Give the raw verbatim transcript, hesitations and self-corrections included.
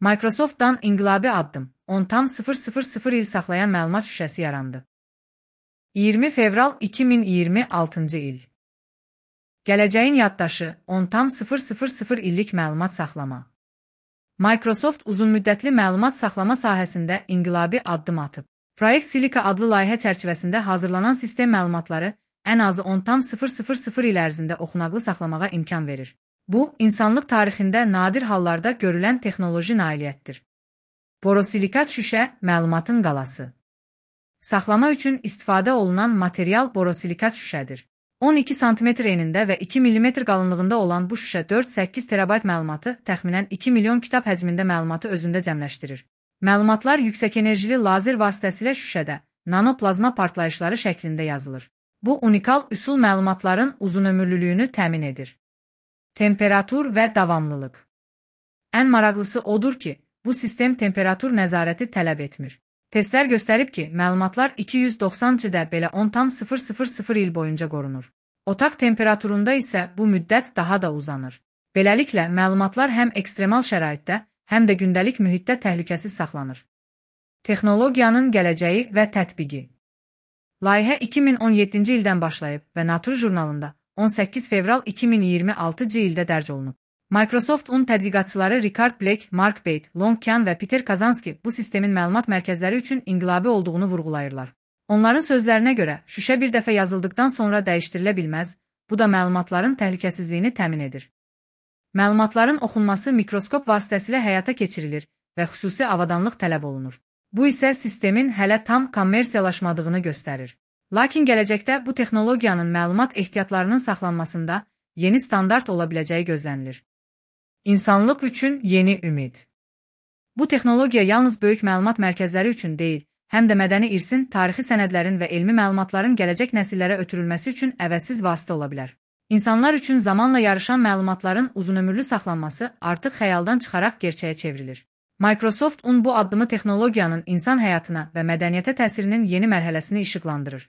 Microsoft'dan inqilabi addım, on tam sıfır sıfır sıfır il saxlayan məlumat şüşəsi yarandı. iyirmi fevral iki min iyirmi altıncı il. Gələcəyin yaddaşı, on tam sıfır sıfır sıfır illik məlumat saxlama. Microsoft uzunmüddətli məlumat saxlama sahəsində inqilabi addım atıb. Project Silica adlı layihə çərçivəsində hazırlanan sistem məlumatları ən azı on tam sıfır sıfır sıfır il ərzində oxunaqlı saxlamağa imkan verir. Bu, insanlıq tarixində nadir hallarda görülən texnoloji nailiyyətdir. Borosilikat şüşə, məlumatın qalası. Saxlama üçün istifadə olunan material borosilikat şüşədir. on iki santimetr enində və iki millimetr qalınlığında olan bu şüşə dörd səkkiz terabayt məlumatı, təxminən iki milyon kitab həcmində məlumatı özündə cəmləşdirir. Məlumatlar yüksək enerjili lazer vasitəsilə şüşədə, nanoplazma partlayışları şəklində yazılır. Bu unikal üsul məlumatların uzunömürlülüyünü təmin edir. Temperatur və davamlılıq. Ən maraqlısı odur ki, bu sistem temperatur nəzarəti tələb etmir. Testlər göstərib ki, məlumatlar iki yüz doxsancı də belə on tam sıfır sıfır sıfır il boyunca qorunur. Otaq temperaturunda isə bu müddət daha da uzanır. Beləliklə, məlumatlar həm ekstremal şəraitdə, həm də gündəlik mühitdə təhlükəsiz saxlanır. Texnologiyanın gələcəyi və tətbiqi. Layihə iki min on yeddinci ildən başlayıb və Nature jurnalında on səkkiz fevral iki min iyirmi altıncı ildə dərc olunub. Microsoft'un tədqiqatçıları Richard Blake, Mark Bate, Long Kyan və Peter Kazanski bu sistemin məlumat mərkəzləri üçün inqilabi olduğunu vurğulayırlar. Onların sözlərinə görə, şüşə bir dəfə yazıldıqdan sonra dəyişdirilə bilməz, bu da məlumatların təhlükəsizliyini təmin edir. Məlumatların oxunması mikroskop vasitəsilə həyata keçirilir və xüsusi avadanlıq tələb olunur. Bu isə sistemin hələ tam kommersiyalaşmadığını göstərir. Lakin gələcəkdə bu texnologiyanın məlumat ehtiyatlarının saxlanmasında yeni standart ola biləcəyi gözlənilir. İnsanlıq üçün yeni ümid. Bu texnologiya yalnız böyük məlumat mərkəzləri üçün deyil, həm də mədəni irsin, tarixi sənədlərin və elmi məlumatların gələcək nəsillərə ötürülməsi üçün əvəzsiz vasitə ola bilər. İnsanlar üçün zamanla yarışan məlumatların uzunömürlü saxlanması artıq xəyaldan çıxaraq gerçəyə çevrilir. Microsoft'un bu addımı texnologiyanın insan həyatına və mədəniyyətə təsirinin yeni mərhələsini işıqlandırır.